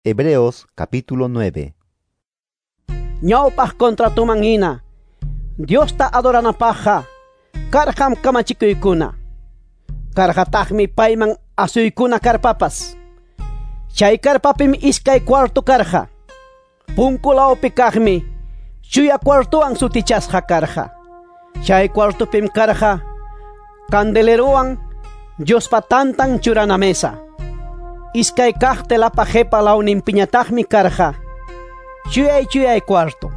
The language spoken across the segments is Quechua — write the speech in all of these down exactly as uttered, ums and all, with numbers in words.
Hebreos capítulo nueve. Ñawpaq contratuman hina Diosta adoranapaqqa karqam kamachikuykuna. Karqataqmi payman asuykuna karpapas. Chay karpapim iskay cuarto karqa. Punkulawpi kaqmi chuya cuartowan sutichasqa karqa. Chay cuartopim karqa candelerowan Diospa tantan churana mesa. Iskay kaq telapa qhipa lawninpiñataqmi karqa chuyay chuyay cuarto.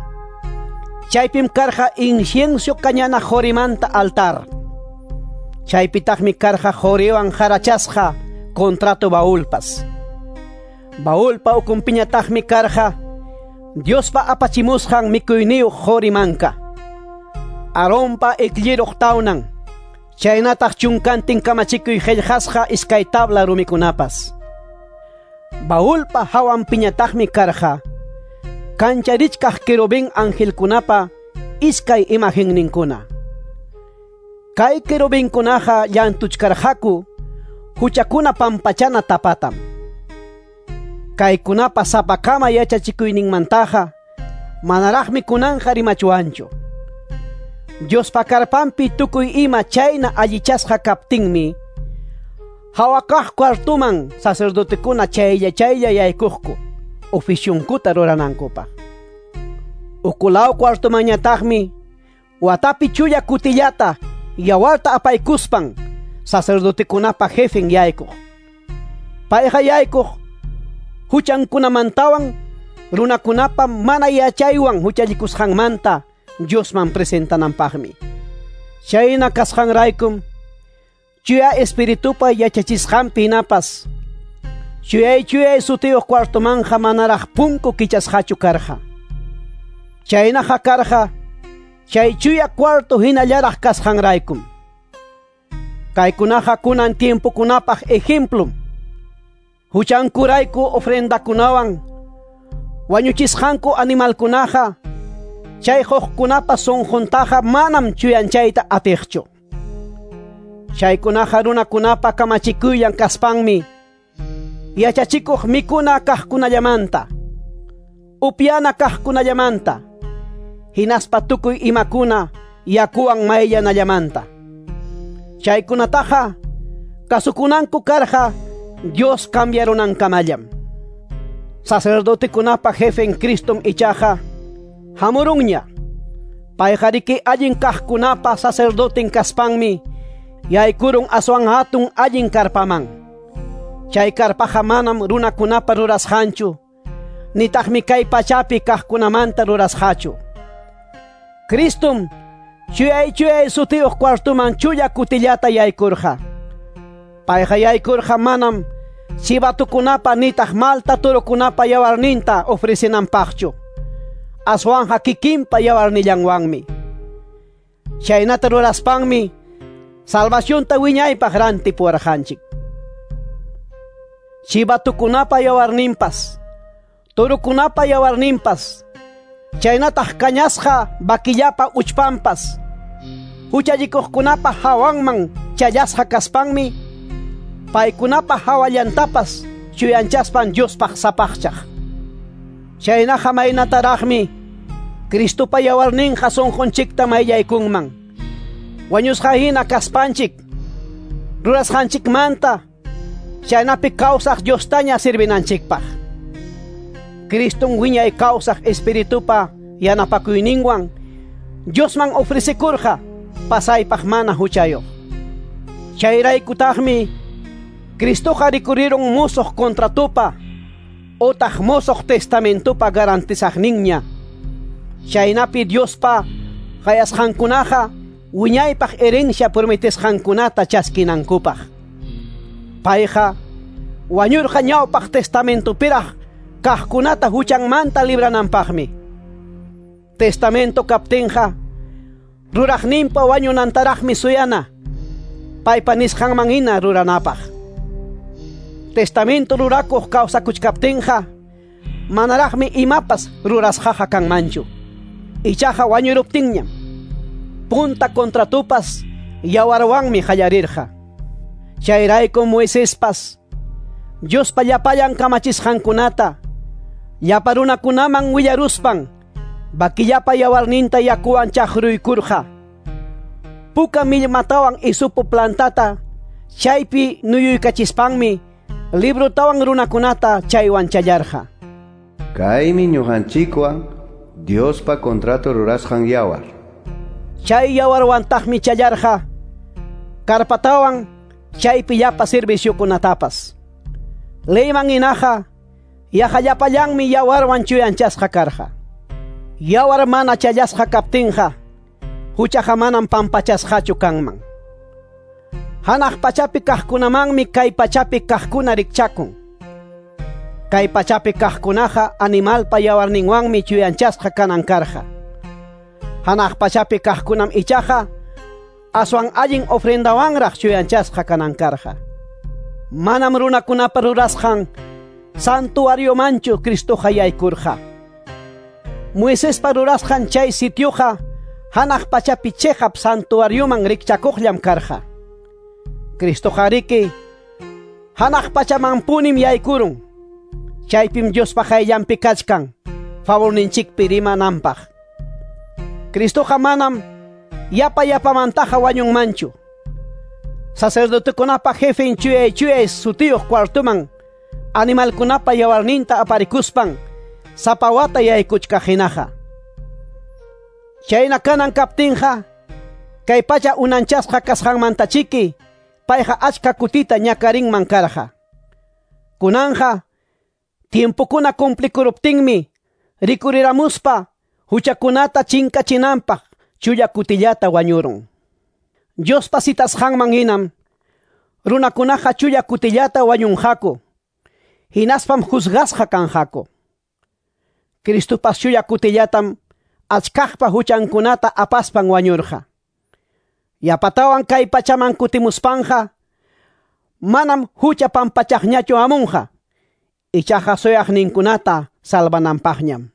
Chaypim karqa incienso kañana qorimanta altar. Chaypitaqmi karqa qoriwan qarachasqa contrato baúlpas. Baúlpa ukunpiñataqmi karqa Diospa apachimusqan mikuyniyuq qorimanka. Aaronpa iklliruq tawnan. Chaynataq chunkantin kamachikuy qillqasqa iskay tabla rumikunapas. Baúlpa hawanpiñataqmi karqa kancharichkaq querubín angelkunapa iskay imagenninkuna. Kay querubinkunaqa llantuchkarqaku huchakuna pampachana tapatam. Kaykunapa sapakama yachachikuyninmantaqa manaraqmi kunanqa rimachuwanchu. Diospa karpanpi tukuy ima chayna allichasqa kaptinmi hawakaq cuartuman sacerdotekuna chaylla chaylla yaykuqku oficionkuta ruranankupaq. Ukulaw cuartumanñataqmi watapi chulla kutillata yawarta apaykuspan sacerdotekunapa jefen yaykuq. Payqa yaykuq huchankunamantawan runakunapa mana yachaywan huchallikusqanmanta Diosman presentananpaqmi. Chayna kasqanraykum chuya espiritupa yachachisqanpi hinapas chuyay chuyay sutiyuq cuartomanja manaraq punku kichasqachu karqa. Chaynaqa karqa chay chuya cuarto hinallaraq kasqanraykum. Kaykunaqa kunan tiempokunapaq ejemplum. Huchankurayku ofrendakunawan wañuchisqanku animalkunaqa chay huqkunapa sunquntaqa manam chuyanchayta atiqchu. Chaykunaqa runakunapa kamachikuyllan kaspanmi yachachikuq mikuna kaqkunallamanta, upyana kaqkunallamanta, hinaspa tukuy imakuna yakuwan mayllanallamanta. Chaykunataqa kasukunanku karqa Dios cambiarunankamallam. Sacerdotekunapa jefen Cristom ichaqa hamurunña. Payqariki allin kaqkunapa sacerdoten kaspanmi yaykurun aswan hatun allin karpaman. Chay karpaqa manam runakunapa rurasqanchu, nitaqmi kay pachapi kaqkunamanta rurasqachu. Cristom chuyay chuyay sutiyuq cuartuman chulla kutillata yaykurqa. Payqa yaykurqa manam chivatukunapa nitaq malta turukunapa yawarninta ofrecinanpaqchu. Aswanja kikinpa yawarnillanwanmi. Chaynata ruraspanmi salvacionta wiñaypaq rantipuwarqanchik. Chivatukunapa yawarninpas, turukunapa yawarninpas, chaynataq kañasqa vaquillapa uchpanpas, huchallikuqkunapa hawanman challasqa kaspanmi, paykunapa hawallantapas chuyanchaspan Diospaq sapaqchaq. Chaynaqa maynataraqmi Cristopa yawarninqa sunqunchikta mayllaykunman. Wañusqa hina kaspanchik, rurasqanchikmanta chaynapi kawsaq Diostaña sirvinanchikpaq. Criston wiñay kawsaq espiritupa yanapakuyninwan Diosman ofrecikurqa pasaypaq mana huchayuq. Chayraykutaqmi Cristoqa rikurirun musuq contratupa otaq musuq testamentupa garantizaqninña. Chaynapi Diospa qayasqankunaqa wiñaypaq herencia prometesqankunata chaskinankupaq. Payqa wañurqa ñawpaq testamentupiraq kaqkunata huchanmanta librananpaqmi. Testamento kaptinqa ruraqninpa wañunantaraqmi suyana paypa nisqanman hina ruranapaq. Testamento rurakuq kawsakuchkaptinqa manaraqmi imapas rurasqaqa kanmanchu. Ichaqa wañuruptinñam punta contratupas yawarwanmi qallarirqa. Chayraykum Moisespas Diospa llapallan kamachisqankunata Llapa runakunaman willaruspan vaquillapa yawarninta yakuwan chaqruykurqa. Puka millmatawan isupu plantata chaypi nuyuykachispanmi librotawan runakunata chaywan challarqa. Kaymi ñuqanchikwan Diospa contrato rurasqan yawar. Chay yawarwantaqmi challarqa karpatawan chaypi llapa serviciokunatapas. Leyman hinaqa yaqa llapallanmi yawarwan chuyanchasqa karqa. Yawar mana challasqa kaptinqa huchaqa manam pampachasqachu kanman. Hanaq pachapi kaqkunamanmi kay pachapi kaqkuna rikchakun. Kay pachapi kaqkunaqa animalpa yawarninwanmi chuyanchasqa kanan karqa. Hanaq pachapi kaqkunam ichaqa aswan allin ofrendawanraq chuyanchasqa kanan karqa. Manam runakunapa rurasqan santuariomanchu Cristoqa yaykurqa. Moisespa rurasqan chay sitioqa hanaq pachapi chiqap santuarioman rikchakuqllam karqa. Cristoqa riki hanaq pachamanpunim yaykurun. Chaypim Diospa qayllanpi kachkan favorninchikpi rimananpaq. Cristoqa manam yapa yapamantaqa wañunmanchu. Sacerdotekunapa jefen chuyay chuyay sutiyuq cuartuman animalkunapa yawarninta aparikuspan sapa wata yaykuchkaq hinaqa. Chayna kanan kaptinqa kay pacha unanchasqa kasqanmantachiki payqa achka kutita ñakarinman karqa. Kunanja tiempokuna cumplikuruptinmi rikuriramuspa huchakunata chinkachinanpaq chulla kutillata wañurun. Diospa citasqanman hinam runakunaqa chulla kutillata wañunqaku, hinaspam juzgasqa kanqaku. Cristopas chulla kutillatam achkaqpa huchankunata apaspan wañurqa. Yapatawan kay pachaman kutimuspanqa manam hucha pampachaqñachu hamunqa, ichaqa suyaqninkunata salvananpaqñam.